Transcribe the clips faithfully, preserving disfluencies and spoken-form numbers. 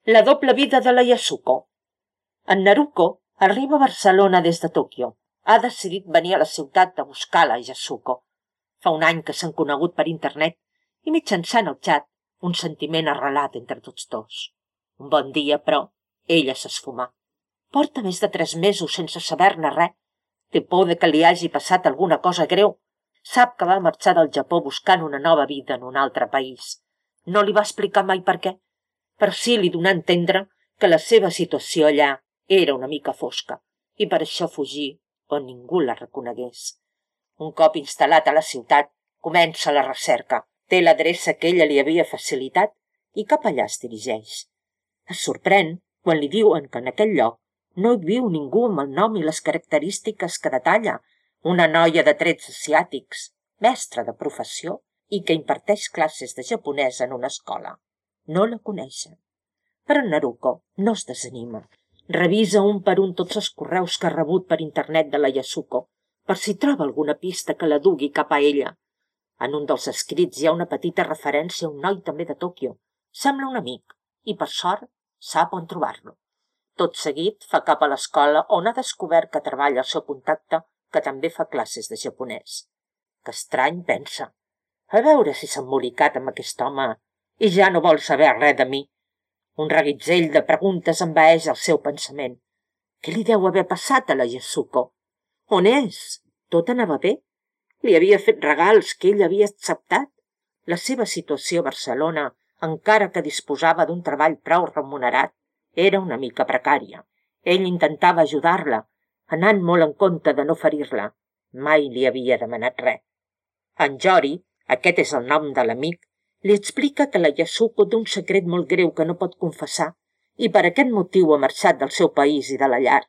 La doble vida de la Yasuko. En Naruko arriba a Barcelona des de Tòquio. Ha decidit venir a la ciutat a buscar la Yasuko. Fa un any que s'han conegut per internet i mitjançant el xat un sentiment arrelat entre tots dos. Un bon dia, però, ella s'esfumà. Porta més de tres mesos sense saber-ne res. Té por de que li hagi passat alguna cosa greu. Sap que va marxar del Japó buscant una nova vida en un altre país. No li va explicar mai per què, però sí li donà a entendre que la seva situació allà era una mica fosca i per això fugí on ningú la reconegués. Un cop instal·lat a la ciutat, comença la recerca. Té l'adreça que ella li havia facilitat i cap allà es dirigeix. Es sorprèn quan li diuen que en aquell lloc no hi viu ningú amb el nom i les característiques que detalla, una noia de trets asiàtics, mestra de professió i que imparteix classes de japonès en una escola. No la coneixen. Però Naruko no es desanima. Revisa un per un tots els correus que ha rebut per internet de la Yasuko, per si troba alguna pista que la dugui cap a ella. En un dels escrits hi ha una petita referència a un noi també de Tòquio. Sembla un amic, i per sort sap on trobar-lo. Tot seguit fa cap a l'escola on ha descobert que treballa el seu contacte, que també fa classes de japonès. Que estrany, pensa. A veure si s'ha embolicat amb aquest home i ja no vol saber res de mi. Un reguitzell de preguntes envaeix el seu pensament. Què li deu haver passat a la Yasuko? On és? Tot anava bé? Li havia fet regals que ell havia acceptat? La seva situació a Barcelona, encara que disposava d'un treball prou remunerat, era una mica precària. Ell intentava ajudar-la, anant molt en compte de no ferir-la. Mai li havia demanat res. En Jori, aquest és el nom de l'amic, li explica que la Yasuko té un secret molt greu que no pot confessar i per aquest motiu ha marxat del seu país i de la llar.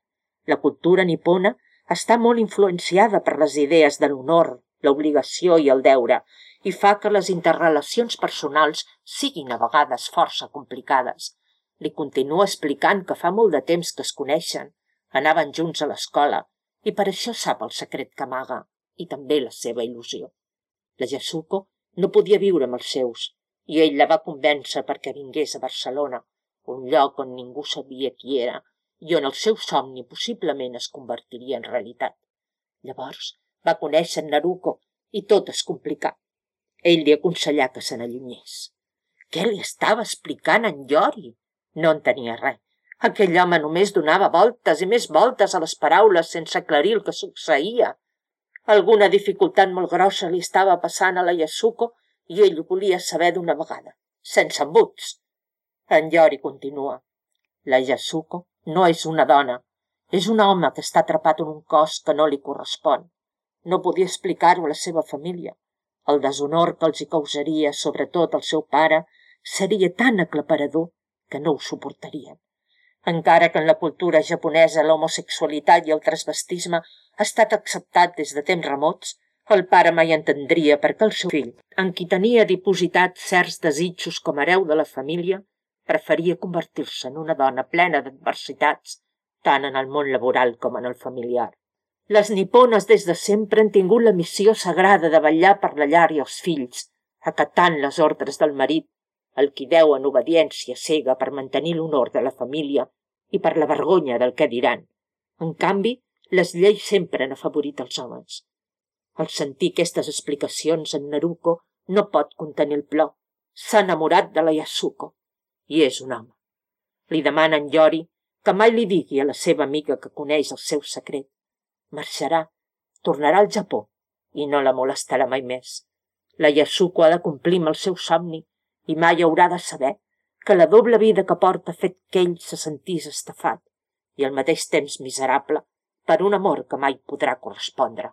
La cultura nipona està molt influenciada per les idees de l'honor, l'obligació i el deure i fa que les interrelacions personals siguin a vegades força complicades. Li continua explicant que fa molt de temps que es coneixen, anaven junts a l'escola i per això sap el secret que amaga i també la seva il·lusió. La Yasuko no podia viure amb els seus i ell la va convèncer perquè vingués a Barcelona, un lloc on ningú sabia qui era i on el seu somni possiblement es convertiria en realitat. Llavors va conèixer en Naruko i tot es complicà. Ell li aconsellà que se n'allunyés. Què li estava explicant en Yori? No entenia res. Aquell home només donava voltes i més voltes a les paraules sense aclarir el que succeïa. Alguna dificultat molt grossa li estava passant a la Yasuko i ell ho volia saber d'una vegada, sense embuts. En Yori continua. La Yasuko no és una dona, és un home que està atrapat en un cos que no li correspon. No podia explicar-ho a la seva família. El deshonor que els hi causaria, sobretot al seu pare, seria tan aclaparador que no ho suportarien. Encara que en la cultura japonesa l'homosexualitat i el transvestisme ha estat acceptat des de temps remots, el pare mai entendria per què el seu fill, en qui tenia dipositat certs desitjos com a hereu de la família, preferia convertir-se en una dona plena d'adversitats, tant en el món laboral com en el familiar. Les nipones des de sempre han tingut la missió sagrada de vetllar per la llar i els fills, acatant les ordres del marit, el qui deuen obediència cega per mantenir l'honor de la família i per la vergonya del què diran. En canvi, les lleis sempre han afavorit els homes. Al sentir aquestes explicacions, en Naruko no pot contenir el plor. S'ha enamorat de la Yasuko i és un home. Li demana en Yori que mai li digui a la seva amiga que coneix el seu secret. Marxarà, tornarà al Japó i no la molestarà mai més. La Yasuko ha de complir amb el seu somni i mai haurà de saber que la doble vida que porta ha fet que ell se sentís estafat i al mateix temps miserable per un amor que mai podrà correspondre.